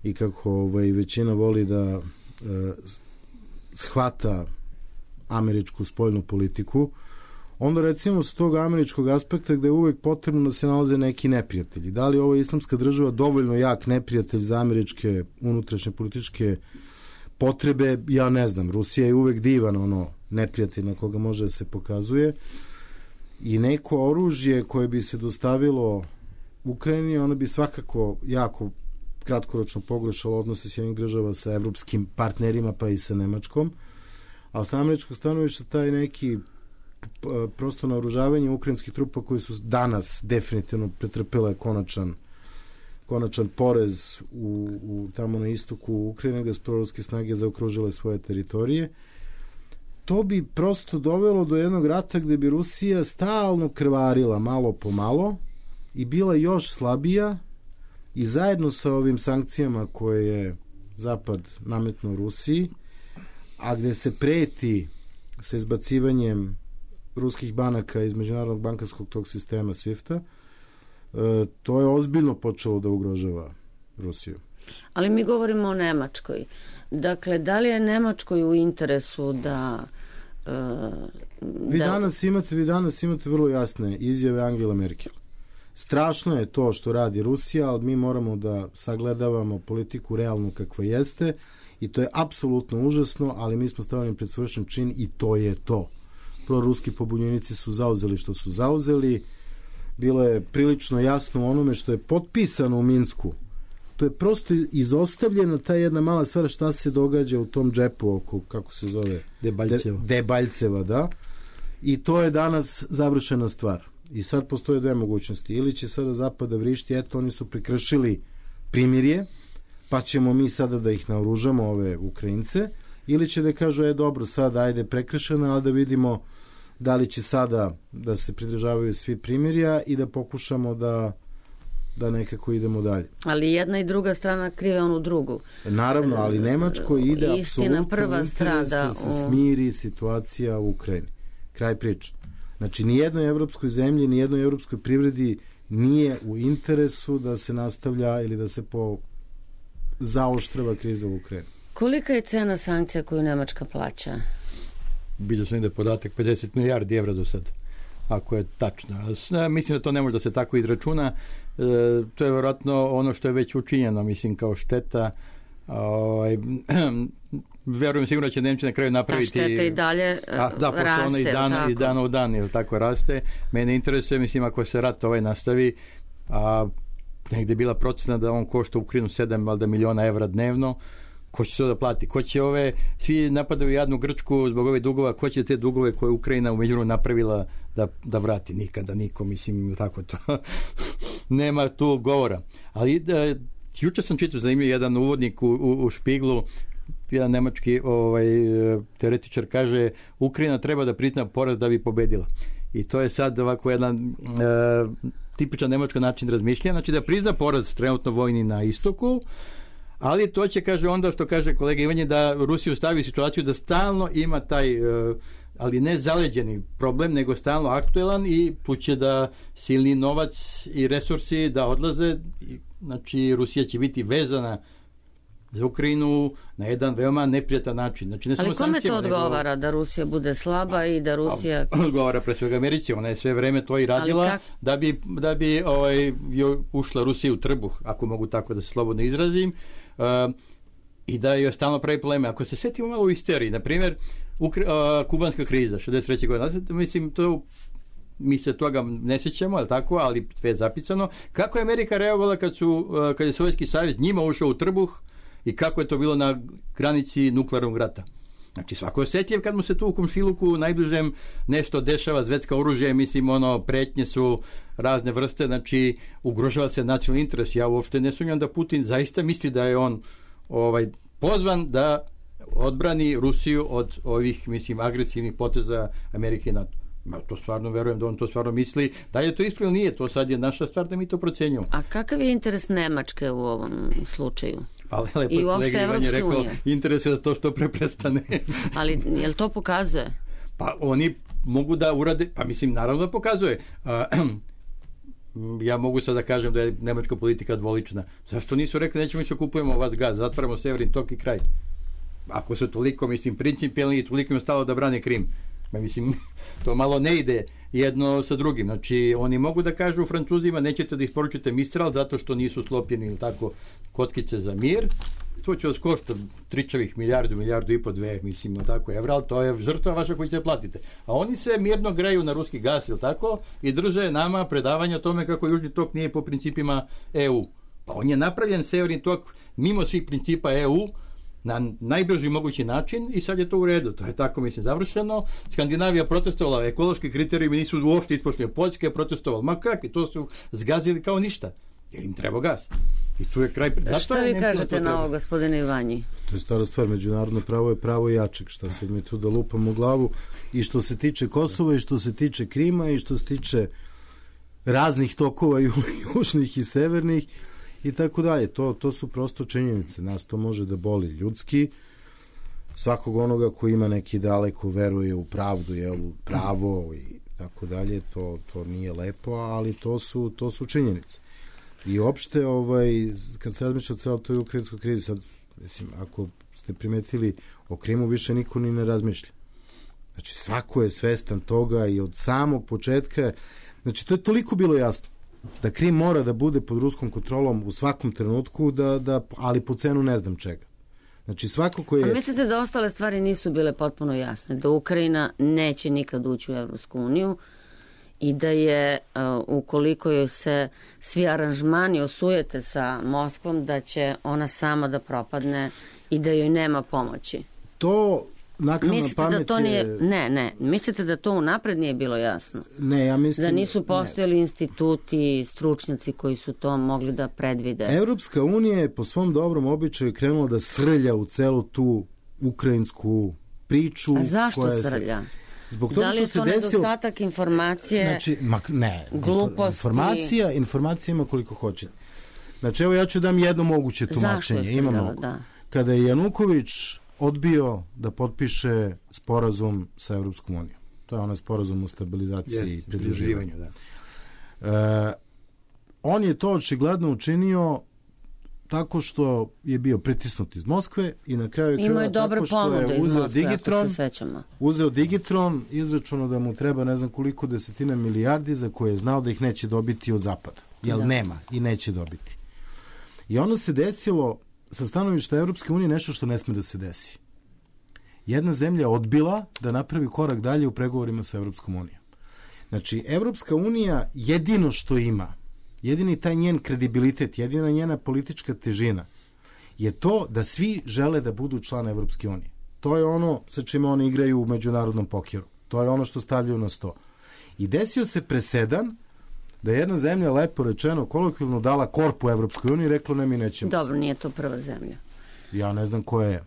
[SPEAKER 4] i kako većina voli da shvata američku spoljnu politiku, onda recimo s tog američkog aspekta gde je uvek potrebno da se nalaze neki neprijatelji. Da li ovo je islamska država dovoljno jak neprijatelj za američke unutrašnje političke potrebe, ja ne znam. Rusija je uvek divan neprijatelj na koga može da se pokazuje i neko oružje koje bi se dostavilo Ukrajini, ono bi svakako jako kratkoročno pogoršalo odnose Sjedinjenih država sa evropskim partnerima pa i sa Nemačkom, a sa američkog stanovišta taj neki prosto naoružavanje ukrajinskih trupa koji su danas definitivno pretrpele konačan porez tamo na istoku Ukrajine gde su proruske snage zaokružile svoje teritorije. To bi prosto dovelo do jednog rata gde bi Rusija stalno krvarila malo po malo i bila još slabija i zajedno sa ovim sankcijama koje je Zapad nametnuo Rusiji, a gde se preti sa izbacivanjem ruskih banaka iz međunarodnog bankarskog tog sistema SWIFT-a, to je ozbiljno počelo da ugrožava Rusiju.
[SPEAKER 3] Ali mi govorimo o Nemačkoj. Dakle, da li je Nemačkoj u interesu da...
[SPEAKER 4] Vi danas imate vrlo jasne izjave Angela Merkel. Strašno je to što radi Rusija, ali mi moramo da sagledavamo politiku realno kakva jeste i to je apsolutno užasno, ali mi smo stavljeni pred svršen čin i to je to. Proruski pobunjenici su zauzeli što su zauzeli, bilo je prilično jasno onome što je potpisano u Minsku. To je prosto izostavljena ta jedna mala stvar šta se događa u tom džepu oko, kako se zove? Debaljceva, da. I to je danas završena stvar. I sad postoje dve mogućnosti. Ili će sada Zapad da vrišti, eto, oni su prekršili primirje, pa ćemo mi sada da ih naoružamo, ove Ukrajince, ili će da kažu, dobro, sada ajde prekršeno, ali da vidimo da li će sada da se pridržavaju svi primirja i da pokušamo da nekako idemo dalje.
[SPEAKER 3] Ali jedna i druga strana krive onu drugu.
[SPEAKER 4] Naravno, ali Nemačko ide apsolutno interes da se smiri situacija u Ukrajini. Kraj priče. Znači, nijednoj evropskoj zemlji, nijednoj evropskoj privredi nije u interesu da se nastavlja ili da se zaoštrava kriza u Ukrajini.
[SPEAKER 3] Kolika je cena sankcija koju Nemačka plaća?
[SPEAKER 6] Vidio sam da je podatak 50 milijardi evra do sad, ako je tačno. Mislim da to ne može da se tako izračuna. To je vjerojatno ono što je već učinjeno, mislim, kao šteta. Verujem sigurno će Nemci na kraju napraviti...
[SPEAKER 3] Ta šteta i dalje raste.
[SPEAKER 6] Ona iz dana u dan, ili tako raste. Mene interesuje, mislim, ako se rat nastavi, a negde je bila procena da on košta Ukrajinu 7 miliona evra dnevno, ko će se da plati? Ko će svi napadaju jadnu Grčku zbog ovih dugova, ko će te dugove koje Ukrajina u međuvremenu napravila da vrati? Nikada niko, mislim, tako to. Nema tu govora. Ali juče sam čitao zanimljiv jedan uvodnik u Špiglu, jedan nemački teoretičar kaže, Ukrajina treba da prizna poraz da bi pobedila. I to je sad ovako jedan tipičan nemački način razmišljanja, znači da prizna poraz trenutno vojni na istoku, ali to će, kaže, onda što kaže kolega Ivanje, da Rusiju stavi u situaciju da stalno ima taj ali ne zaleđeni problem, nego stalno aktuelan i tu će da silni novac i resursi da odlaze. Znači, Rusija će biti vezana za Ukrajinu na jedan veoma neprijatan način. Znači, ne
[SPEAKER 3] ali
[SPEAKER 6] samo
[SPEAKER 3] kome to odgovara da Rusija bude slaba i da Rusija...
[SPEAKER 6] Odgovara pre svega Americi, ona je sve vreme to i radila da bi ušla Rusija u trbuh, ako mogu tako da se slobodno izrazim, i da joj stalno pravi probleme. Ako se setimo malo u isteriji, na primjer, kubanska kriza 63. godina, mislim, mi se toga ne sjećamo, ali tako, ali sve je zapisano. Kako je Amerika reagovala kad je Sovjetski savez njima ušao u trbuh i kako je to bilo na granici nuklearnog rata? Znači, svako je osjetljiv kad mu se tu u komšiluku najbližem nešto dešava, zvetska oružje, mislim, pretnje su razne vrste, znači, ugrožava se nacionalni interes. Ja uopšte ne sumnjam da Putin zaista misli da je on pozvan da odbrani Rusiju od ovih, mislim, agresivnih poteza Amerike i NATO. Ja to stvarno verujem da on to stvarno misli. Da je to ispravno, nije, to sad je naša stvar da mi to procenjujemo.
[SPEAKER 3] A kakav je interes Nemačke u ovom slučaju?
[SPEAKER 6] Ali lepo kolega Ivan je rekao, interes je da to što pre prestane.
[SPEAKER 3] Ali je li to pokazuje?
[SPEAKER 6] Pa oni mogu da urade, pa mislim naravno da pokazuje. Ja mogu sad da kažem da je nemačka politika dvolična. Zašto nisu rekli nećemo se kupujemo od vas gaz, zatvaramo Severin tok i kraj? Ako su toliko, mislim, principijelni i toliko im stalo da brane Krim. Mislim, to malo ne ide jedno sa drugim. Znači, oni mogu da kažu Francuzima nećete da isporučite Mistral zato što nisu sklopljeni ili tako kockice za mir. To će vas košta tričavih milijardu i po, dve, mislim, tako evra, ali to je žrtva vaša koju će platite. A oni se mirno greju na ruski gas, ili tako, i drže nama predavanja o tome kako Južni tok nije po principima EU. Pa on je napravljen Severni tok mimo svih principa EU, na najbrži mogući način i sad je to u redu. To je tako, mislim, završeno. Skandinavija protestovala, ekološki kriterijumi nisu uopšte ispoštovani. Poljska je protestovala. Ma kakvi, to su zgazili kao ništa. Jer im treba gas. I tu je kraj.
[SPEAKER 3] Šta vi kažete na ovo, gospodine Ivanji?
[SPEAKER 4] To je stara stvar. Međunarodno pravo je pravo jačeg. Šta sad mi tu da lupam u glavu? I što se tiče Kosova, i što se tiče Krima, i što se tiče raznih tokova južnih i severnih, i tako dalje. To su prosto činjenice. Nas to može da boli ljudski. Svakog onoga koji ima neki daleko veruje u pravdu, u pravo i tako dalje, to nije lepo, ali to su činjenice. I uopšte, kad se razmišlja o celoj toj ukrajinskoj krizi, sad, mislim, ako ste primetili, o Krimu više niko ni ne razmišlja. Znači, svako je svestan toga i od samog početka, znači, to je toliko bilo jasno da Krim mora da bude pod ruskom kontrolom u svakom trenutku, ali po cenu ne znam čega. Znači, svako ko je... A
[SPEAKER 3] mislite da ostale stvari nisu bile potpuno jasne? Da Ukrajina neće nikad ući u Evropsku uniju i da je, ukoliko joj se svi aranžmani osujete sa Moskvom, da će ona sama da propadne i da joj nema pomoći?
[SPEAKER 4] To... Mislite da to nije...
[SPEAKER 3] Ne. Mislite da to unapred nije bilo jasno?
[SPEAKER 4] Ne, ja mislim...
[SPEAKER 3] Da nisu postojali instituti, stručnjaci koji su to mogli da predvide?
[SPEAKER 4] Evropska unija je po svom dobrom običaju krenula da srlja u celu tu ukrajinsku priču.
[SPEAKER 3] A zašto srlja?
[SPEAKER 4] Zbog toga
[SPEAKER 3] da li je
[SPEAKER 4] što
[SPEAKER 3] to nedostatak informacije,
[SPEAKER 4] znači,
[SPEAKER 3] gluposti?
[SPEAKER 4] Informacija ima koliko hoćete. Znači, evo ja ću dam jedno moguće tumačenje. Ima mnogo. Da. Kada je Januković odbio da potpiše sporazum sa Evropskom unijom. To je onaj sporazum o stabilizaciji i pridruživanju. On je to očigledno učinio tako što je bio pritisnut iz Moskve i na kraju tako što je uzeo Digitron, izračunao da mu treba ne znam koliko desetina milijardi za koje je znao da ih neće dobiti od zapada. Jer nema i neće dobiti. I ono se desilo sa stanovišta Evropske unije nešto što ne sme da se desi. Jedna zemlja je odbila da napravi korak dalje u pregovorima sa Evropskom unijom. Znači, Evropska unija jedino što ima, jedini taj njen kredibilitet, jedina njena politička težina je to da svi žele da budu član Evropske unije. To je ono sa čime oni igraju u međunarodnom pokeru. To je ono što stavljaju na sto. I desio se presedan da je jedna zemlja, lepo rečeno, kolokvijalno dala korpu Evropskoj uniji i rekla ne, mi nećemo.
[SPEAKER 3] Dobro, nije to prva zemlja.
[SPEAKER 4] Ja ne znam koja je.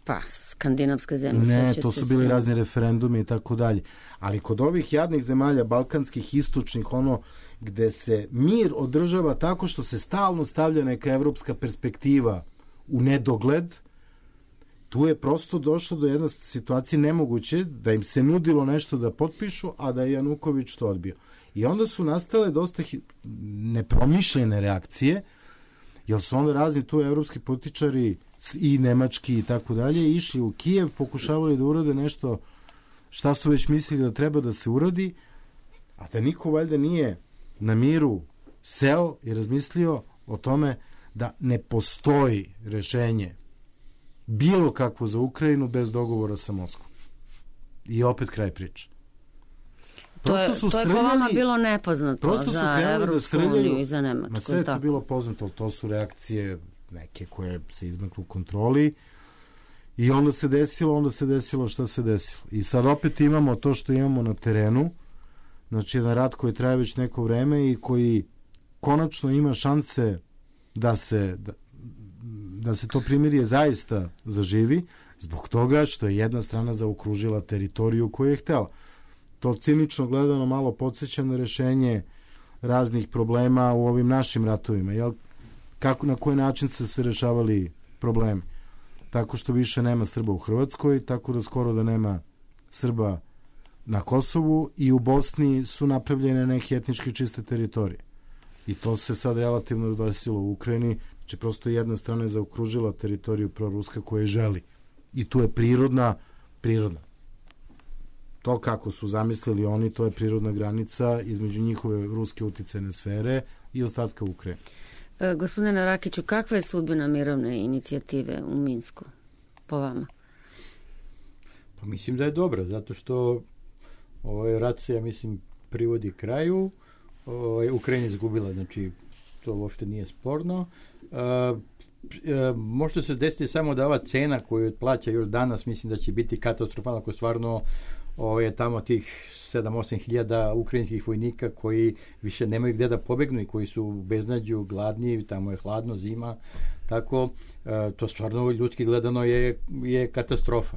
[SPEAKER 3] Pa, skandinavska zemlja.
[SPEAKER 4] Ne, to su bili razni referendumi i tako dalje. Ali kod ovih jadnih zemalja, balkanskih, istočnih, ono gde se mir održava tako što se stalno stavlja neka evropska perspektiva u nedogled, tu je prosto došlo do jedne situacije nemoguće da im se nudilo nešto da potpišu, a da je Januković to odbio. I onda su nastale dosta nepromišljene reakcije, jer su onda razni tu evropski političari i nemački i tako dalje išli u Kijev, pokušavali da urade nešto šta su već mislili da treba da se uradi, a da niko valjda nije na miru seo i razmislio o tome da ne postoji rešenje bilo kakvo za Ukrajinu bez dogovora sa Moskvom. I opet kraj priče.
[SPEAKER 3] To je po vama bilo nepoznato za Evropsku uniju i za Nemačku.
[SPEAKER 4] Na sve je to bilo poznato, to su reakcije neke koje se izmaknu u kontroli i onda se desilo šta se desilo. I sad opet imamo to što imamo na terenu, znači jedan rat koji traje već neko vreme i koji konačno ima šanse da se to primirje zaista zaživi, zbog toga što je jedna strana zaokružila teritoriju koju je htela. To cinično gledano malo podsjeća na rešenje raznih problema u ovim našim ratovima. Jel? Na koji način se rešavali problemi? Tako što više nema Srba u Hrvatskoj, tako da skoro da nema Srba na Kosovu i u Bosni su napravljene neke etnički čiste teritorije. I to se sad relativno desilo u Ukrajini, znači prosto jedna strana je zaokružila teritoriju proruska koje želi. I tu je prirodna. To kako su zamislili oni, to je prirodna granica između njihove ruske uticajne sfere i ostatka Ukrajine.
[SPEAKER 3] Gospodine Rakiću, kakva je sudbina mirovne inicijative u Minsku, po vama?
[SPEAKER 6] Pa mislim da je dobra, zato što ovaj rat se, ja mislim, privodi kraju. Ukrajina izgubila, znači to uopšte nije sporno. Možda se desiti samo da ova cena koju plaća još danas, mislim da će biti katastrofalna, ako stvarno je tamo tih 7-8 hiljada ukrajinskih vojnika koji više nemaju gde da pobegnu i koji su u beznađu, gladni, tamo je hladno, zima, tako to stvarno ljudski gledano je katastrofa.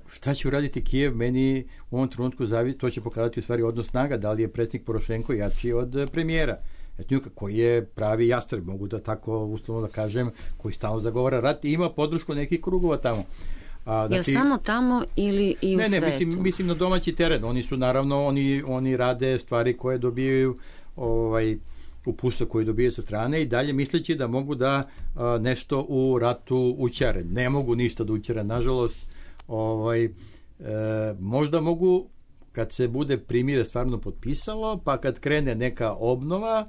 [SPEAKER 6] Šta će uraditi Kijev? Meni u ovom trenutku to će pokazati u stvari odnos snaga, da li je predsjednik Porošenko jači od premijera Etnjuka, koji je pravi jastreb, mogu da tako uslovno da kažem, koji stalno zagovara rat i ima podršku nekih krugova tamo.
[SPEAKER 3] Znači, je samo tamo ili i u svetu?
[SPEAKER 6] Ne, mislim na domaći teren. Oni su naravno, oni rade stvari koje dobijaju upustva koje dobijaju sa strane i dalje misleći da mogu da nešto u ratu učare. Ne mogu ništa da učare, nažalost. Možda mogu kad se bude primire stvarno potpisalo, pa kad krene neka obnova,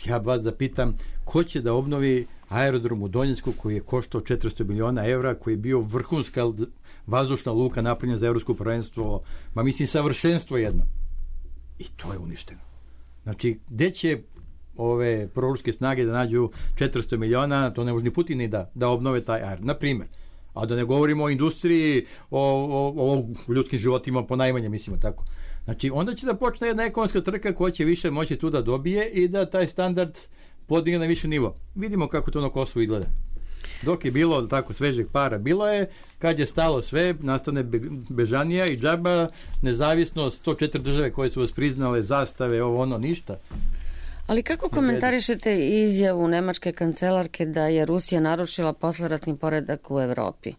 [SPEAKER 6] ja vas da pitam, ko će da obnovi aerodrom u Donjecku koji je koštao 400 miliona evra, koji je bio vrhunska vazdušna luka napravljena za evropsko prvenstvo, mislim savršenstvo jedno. I to je uništeno. Znači, gde će ove proruske snage da nađu 400 miliona, to ne može ni Putin da obnove taj aerodrom, na primjer. A da ne govorimo o industriji, o ljudskim životima ponajmanje, mislimo tako. Znači, onda će da počne jedna ekonomska trka koja će više moći tu da dobije i da taj standard podigne na više nivo. Vidimo kako to na Kosovu izgleda. Dok je bilo tako svežeg para, bilo je, kad je stalo sve, nastane bežanija i džaba, nezavisnost, 104 države koje su vas priznale, zastave, ništa.
[SPEAKER 3] Ali kako komentarišete izjavu nemačke kancelarke da je Rusija narušila posleratni poredak u Evropi?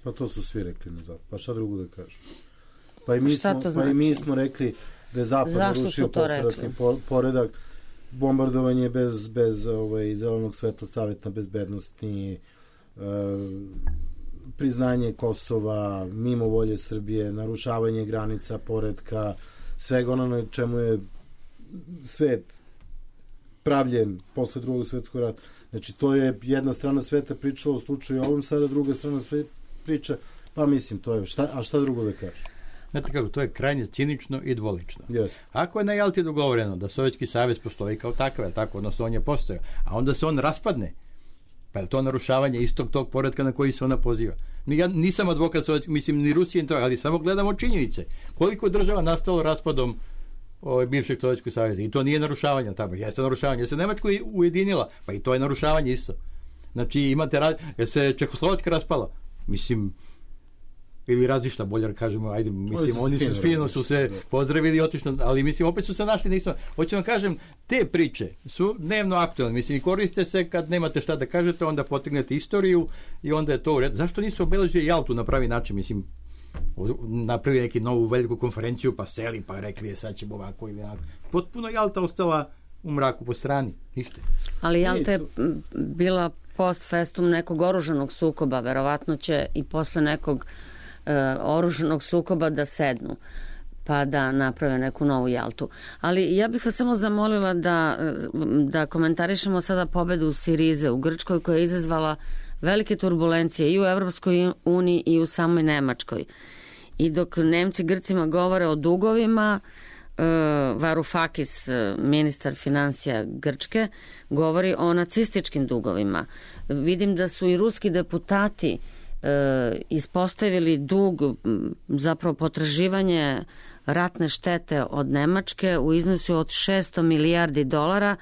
[SPEAKER 4] Pa to su svi rekli na zapad. Pa šta drugo da kažu? Pa i mi smo rekli da je zapad narušio posleratni poredak, bombardovanje bez zelenog sveta Saveta bezbednosti, priznanje Kosova, mimo volje Srbije, narušavanje granica, poretka, svega ono na čemu je svet pravljen posle drugog svetskog rata. Znači, to je jedna strana sveta pričala u slučaju ovom, sada druga strana sveta priča, pa mislim, to je, šta drugo da kažu?
[SPEAKER 6] Znate kako, to je krajnje cinično i dvolično.
[SPEAKER 4] Yes.
[SPEAKER 6] Ako je na Jalti dogovoreno da Sovjetski savez postoji kao takav, tako, odnosno on je postojao, a onda se on raspadne, pa je to narušavanje istog tog poretka na koji se ona poziva. Ja nisam advokat Sovjetskog, mislim, ni Rusije, ali samo gledamo činjenice. Koliko je država nastalo raspadom bivšeg Sovjetskog saveza. I to nije narušavanje tamo. Jeste narušavanje. Jer se Nemačka ujedinila, pa i to je narušavanje isto. Znači, imate jer se Čehoslovačka raspala. Mislim, ili razišta, bolje da kažemo, ajde, mislim, oni su fino su se pozdravili i otišli, ali mislim, opet su se našli, nisam, hoću vam kažem, te priče su dnevno aktualne, mislim, i koriste se kad nemate šta da kažete, onda potegnete istoriju i onda je to u redu. Zašto nisu obeležili Jaltu na pravi način, mislim, napravili neki novu veliku konferenciju, pa seli, pa rekli je sad ćemo ovako ili ovako. Potpuno Jalta ostala u mraku po strani, ništa.
[SPEAKER 3] Ali Jalta je bila post festum nekog oružanog sukoba, verovatno će i posle nekog oružanog sukoba da sednu pa da naprave neku novu Jaltu. Ali ja bih vas samo zamolila da komentarišemo sada pobedu Sirize u Grčkoj koja je izazvala velike turbulencije i u Evropskoj uniji i u samoj Nemačkoj. I dok Nemci Grcima govore o dugovima, Varoufakis, ministar financija Grčke, govori o nacističkim dugovima. Vidim da su i ruski deputati ispostavili dug, zapravo potraživanje ratne štete od Nemačke u iznosu od 600 milijardi dolara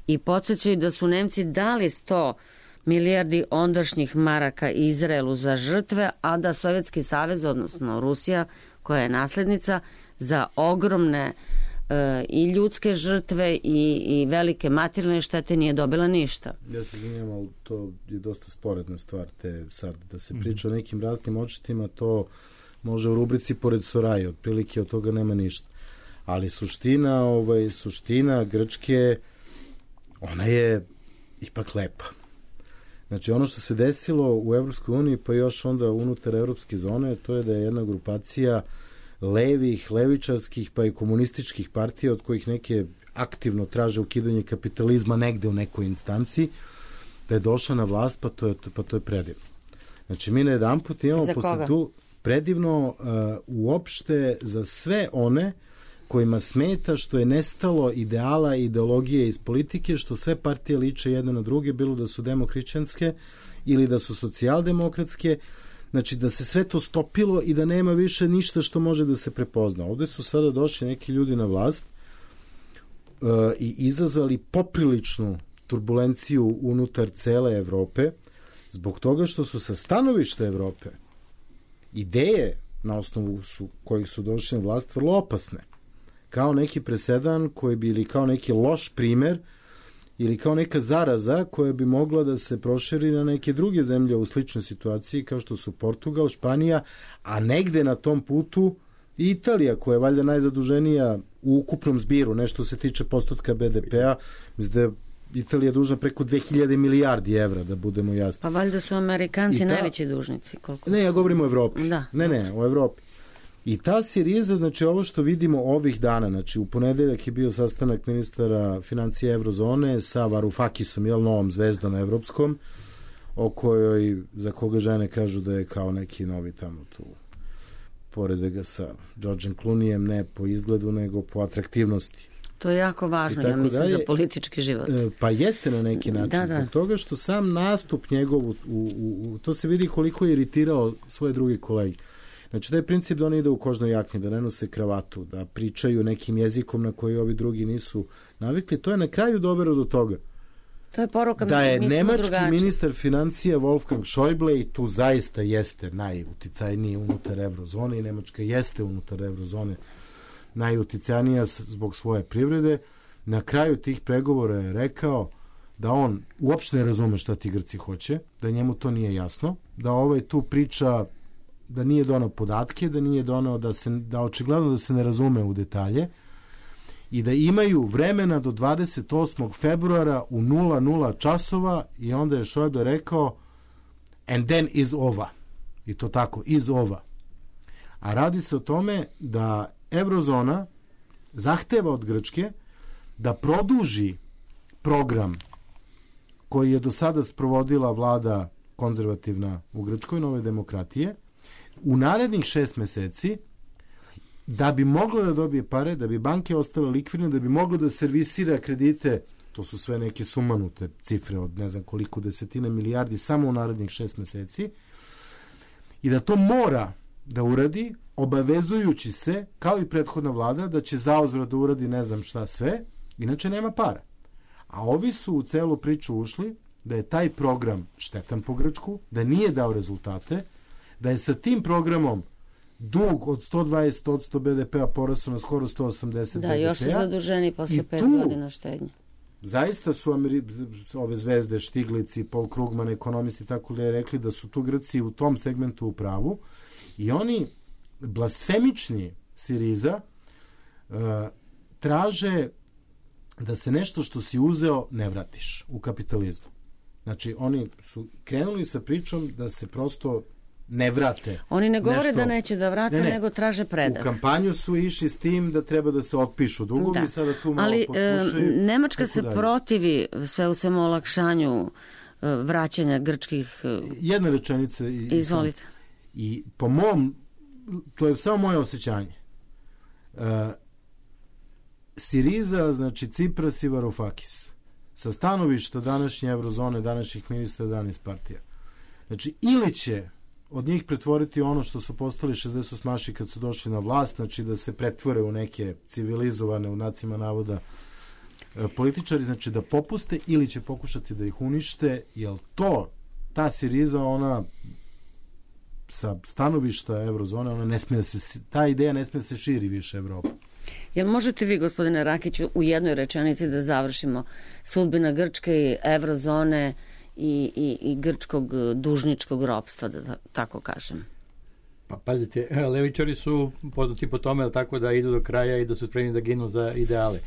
[SPEAKER 3] i podsjećaju da su Nemci dali 100 milijardi ondašnjih maraka Izraelu za žrtve, a da Sovjetski savez, odnosno Rusija, koja je naslednica, za ogromne i ljudske žrtve i velike materijalne štete nije dobila ništa.
[SPEAKER 4] Ja se izvinjam, ali to je dosta sporedna stvar, te sad da se priča o nekim ratnim odštetima, to može u rubrici pored Soraje, otprilike od toga nema ništa. Ali suština Grčke, ona je ipak lepa. Znači, ono što se desilo u Evropskoj uniji, pa još onda unutar evropske zone, to je da je jedna grupacija levih, levičarskih, pa i komunističkih partija, od kojih neke aktivno traže ukidanje kapitalizma negde u nekoj instanciji, da je došla na vlast, pa to je predivno. Znači, mi na jedan put imamo posle tu predivno uopšte za sve one kojima smeta što je nestalo ideala i ideologije iz politike, što sve partije liče jedne na druge, bilo da su demohrišćanske ili da su socijaldemokratske, znači da se sve to stopilo i da nema više ništa što može da se prepozna. Ovde su sada došli neki ljudi na vlast i izazvali popriličnu turbulenciju unutar cele Evrope, zbog toga što su sa stanovišta Evrope ideje na osnovu kojih su došli na vlast vrlo opasne. Kao neki presedan koji bi, ili kao neki loš primer, ili kao neka zaraza koja bi mogla da se proširi na neke druge zemlje u sličnoj situaciji, kao što su Portugal, Španija, a negde na tom putu i Italija, koja je valjda najzaduženija u ukupnom zbiru, nešto se tiče postotka BDP-a, mislim da je Italija dužna preko 2000 milijardi evra, da budemo jasni.
[SPEAKER 3] Pa valjda su Amerikanci najveći dužnici. Koliko?
[SPEAKER 4] Ne, ja govorim o Evropi.
[SPEAKER 3] Da.
[SPEAKER 4] Ne, o Evropi. I ta Siriza, znači ovo što vidimo ovih dana, znači u ponedeljak je bio sastanak ministara financija Evrozone sa Varoufakisom, novom zvezdom evropskom, o kojoj, za koga žene kažu da je kao neki novi tamo tu, porede ga sa Georgeom Clooneyem, ne po izgledu, nego po atraktivnosti.
[SPEAKER 3] To je jako važno, ja mislim, za politički život.
[SPEAKER 4] Pa jeste na neki način, zbog toga što sam nastup njegov, to se vidi koliko je iritirao svoje druge kolege. Znači, taj princip da oni ide u kožnoj jakni, da ne nose kravatu, da pričaju nekim jezikom na koji ovi drugi nisu navikli, to je na kraju dovelo do toga.
[SPEAKER 3] To je poruka,
[SPEAKER 4] da je nemački ministar financija Wolfgang Schäuble, i tu zaista jeste najuticajniji unutar Evrozone, i Nemačka jeste unutar Evrozone najuticajnija zbog svoje privrede, na kraju tih pregovora je rekao da on uopšte ne razume šta ti Grci hoće, da njemu to nije jasno, da tu priča da nije donao podatke, da nije donao da očigledno da se ne razume u detalje i da imaju vremena do 28. februara u 00 časova, i onda je Schäuble rekao and then is over. I to tako, is over. A radi se o tome da Evrozona zahteva od Grčke da produži program koji je do sada sprovodila vlada konzervativna u Grčkoj, Nove demokratije, u narednih 6 meseci, da bi moglo da dobije pare, da bi banke ostale likvidne, da bi moglo da servisira kredite, to su sve neke sumanute cifre od ne znam koliko desetina milijardi samo u narednih 6 meseci, i da to mora da uradi, obavezujući se, kao i prethodna vlada, da će zauzvrat da uradi ne znam šta sve, inače nema para. A ovi su u celu priču ušli da je taj program štetan po Grčku, da nije dao rezultate, da je sa tim programom dug od 120% BDP-a porasao na skoro 180 BDP-a.
[SPEAKER 3] Da, još su zaduženi posle 5 godina štednje.
[SPEAKER 4] Zaista su ove zvezde, Štiglici, Paul Krugman, ekonomisti, tako da je rekli da su tu Grci u tom segmentu u pravu i oni blasfemični Siriza traže da se nešto što si uzeo ne vratiš u kapitalizmu. Znači, oni su krenuli sa pričom da se prosto ne vrate.
[SPEAKER 3] Oni ne govore nešto, da neće da vrate, nego traže predah.
[SPEAKER 4] U kampanju su išli s tim da treba da se otpišu dugovi, sada tu malo
[SPEAKER 3] potpušaju. Nemačka se protivi sve u svemu olakšanju vraćanja grčkih...
[SPEAKER 4] Jedna rečenica.
[SPEAKER 3] Izvolite.
[SPEAKER 4] I po mom, to je samo moje osjećanje, Siriza, znači Cipras i Varoufakis, sa stanovišta današnje Evrozone, današnjih ministra, danas partija. Znači, ili će od njih pretvoriti ono što su postali 68 kad su došli na vlast, znači da se pretvore u neke civilizovane, u znacima navoda, političari, znači da popuste, ili će pokušati da ih unište, jer ta Siriza, ona sa stanovišta Evrozone, ona ne smije da se, ta ideja ne smije da se širi više Evropa.
[SPEAKER 3] Jel možete vi, gospodine Rakiću, u jednoj rečenici da završimo sudbina Grčke i Evrozone i grčkog dužničkog ropstva, da tako kažem?
[SPEAKER 6] Pa pazite, levičari su poznati po tome, tako da idu do kraja i da su spremni da ginu za ideale.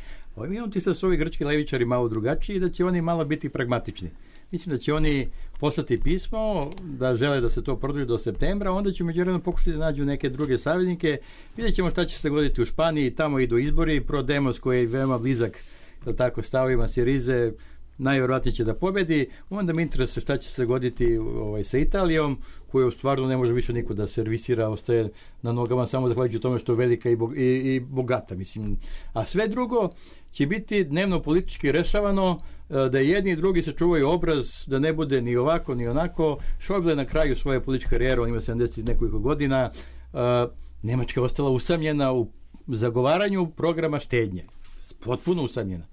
[SPEAKER 6] Imam ti da su ovi grčki levičari malo drugačiji i da će oni malo biti pragmatični. Mislim da će oni poslati pismo da žele da se to produži do septembra, onda će međuvremeno pokušati da nađu neke druge saveznike. Vidjet ćemo šta će se dogoditi u Španiji, tamo idu izbori, Prodemos koji je veoma blizak stavovima Sirize, najvjerojatnije će da pobedi. Onda me interesuje šta će se dogoditi sa Italijom, koju stvarno ne može više niko da servisira, ostaje na nogama samo zahvaljujući tome što je velika i bogata. Mislim. A sve drugo će biti dnevno politički rešavano, da jedni i drugi sačuvaju obraz, da ne bude ni ovako ni onako. Šojble je na kraju svoje političke karijere, on ima 70 nekoliko godina, Nemačka je ostala usamljena u zagovaranju programa štednje. Potpuno usamljena.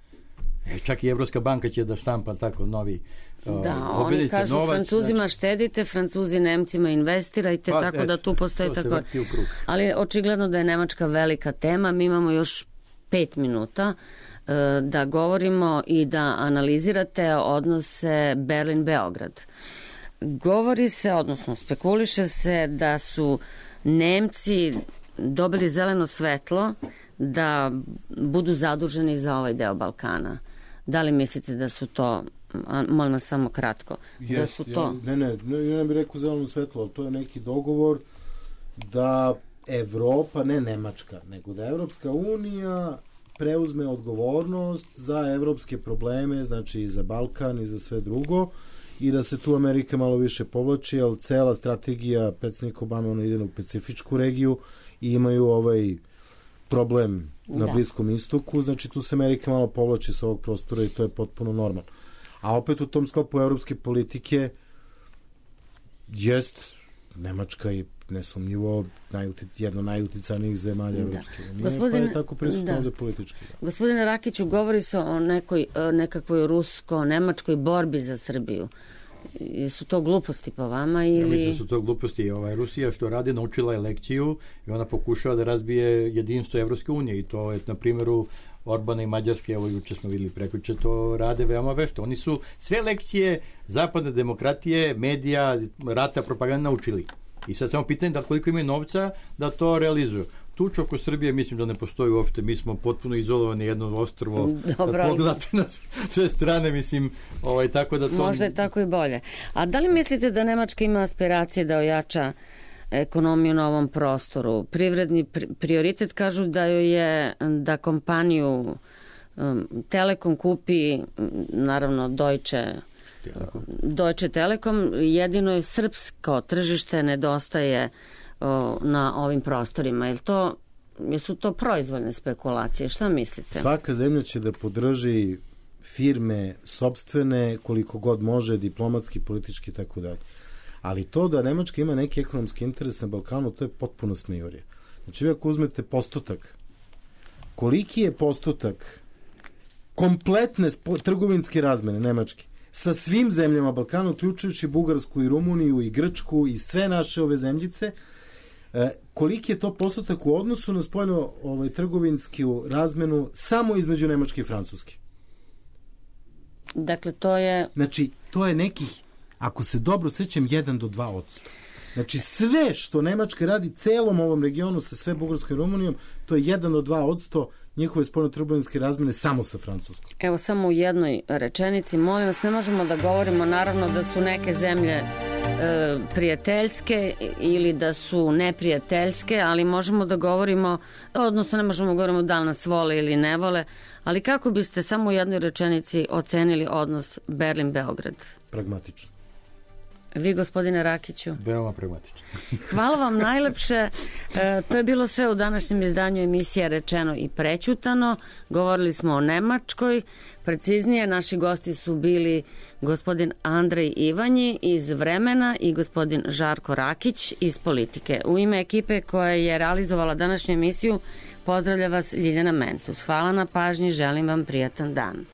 [SPEAKER 6] Čak i Evropska banka će da štampa tako novi
[SPEAKER 3] oni kažu novac, Francuzima znači, štedite, Francuzi Nemcima investirajte, tako da tu postoji tako. Ali očigledno da je Nemačka velika tema. Mi imamo još 5 minuta da govorimo i da analizirate odnose Berlin-Beograd. Govori se, odnosno spekuliše se da su Nemci dobili zeleno svetlo da budu zaduženi za ovaj deo Balkana. Da li mislite da su to, molim vas samo kratko, da su to...
[SPEAKER 4] Ja ne bih rekao zeleno svetlo, ali to je neki dogovor da Evropa, ne Nemačka, nego da Evropska unija preuzme odgovornost za evropske probleme, znači i za Balkan i za sve drugo, i da se tu Amerika malo više povlači, ali cela strategija predsjednika Obama, ona ide u Pacifičku regiju i imaju ovaj problem na Bliskom istoku, znači tu se Amerika malo povlači sa ovog prostora i to je potpuno normalno. A opet u tom sklopu evropske politike jest Nemačka i nesumnjivo jedno najuticajnijih zemalja Evropske unije, pa je tako prisutno ovde politički.
[SPEAKER 3] Gospodine Rakiću, govori se o nekakvoj rusko-nemačkoj borbi za Srbiju. Su to gluposti po vama ili... Ja
[SPEAKER 6] mislim da su to gluposti. Rusija što radi, naučila je lekciju i ona pokušava da razbije jedinstvo Evropske unije i to je na primjeru Orbana i Mađarske, evo juče smo videli prekjuče, to rade veoma vešto. Oni su sve lekcije zapadne demokratije, medija, rata, propaganda naučili. I sad samo pitanje da koliko imaju novca da to realizuju. Tuč oko Srbije mislim da ne postoji uopšte, mi smo potpuno izolovani, jedno ostrvo, da pogledate na sve strane, mislim, tako da to...
[SPEAKER 3] Možda je tako i bolje. A da li mislite da Nemačka ima aspiracije da ojača ekonomiju na ovom prostoru? Privredni prioritet kažu da joj je da kompaniju Telekom kupi, naravno Deutsche Telekom, jedino je srpsko tržište nedostaje na ovim prostorima. Jesu to proizvoljne spekulacije? Šta mislite?
[SPEAKER 4] Svaka zemlja će da podrži firme sopstvene koliko god može, diplomatski, politički i tako dalje. Ali to da Nemačka ima neki ekonomski interes na Balkanu, to je potpuno smejurije. Znači, vi ako uzmete postotak, koliki je postotak kompletne trgovinske razmene Nemačke sa svim zemljama Balkana, uključujući Bugarsku i Rumuniju i Grčku i sve naše ove zemljice, koliki je to postotak u odnosu na spoljno trgovinsku razmenu samo između Nemačke i Francuske.
[SPEAKER 3] Dakle, to je...
[SPEAKER 4] Znači, to je nekih, ako se dobro sećam, 1 do 2%. Znači, sve što Nemačka radi celom ovom regionu sa sve Bugarskom i Rumunijom, to je 1 do 2% njihove spoljno-trgovinske razmene samo sa Francuskom.
[SPEAKER 3] Evo, samo u jednoj rečenici, molim vas, ne možemo da govorimo naravno da su neke zemlje prijateljske ili da su neprijateljske, ali možemo da govorimo, odnosno ne možemo da govorimo da li nas vole ili ne vole, ali kako biste samo u jednoj rečenici ocenili odnos Berlin-Beograd?
[SPEAKER 4] Pragmatično.
[SPEAKER 3] Vi, gospodine Rakiću?
[SPEAKER 6] Veoma pragmatično.
[SPEAKER 3] Hvala vam najlepše. To je bilo sve u današnjem izdanju emisije Rečeno i prećutano. Govorili smo o Nemačkoj. Preciznije, naši gosti su bili gospodin Andrej Ivanji iz Vremena i gospodin Žarko Rakić iz Politike. U ime ekipe koja je realizovala današnju emisiju pozdravlja vas Ljiljana Mentus. Hvala na pažnji, želim vam prijatan dan.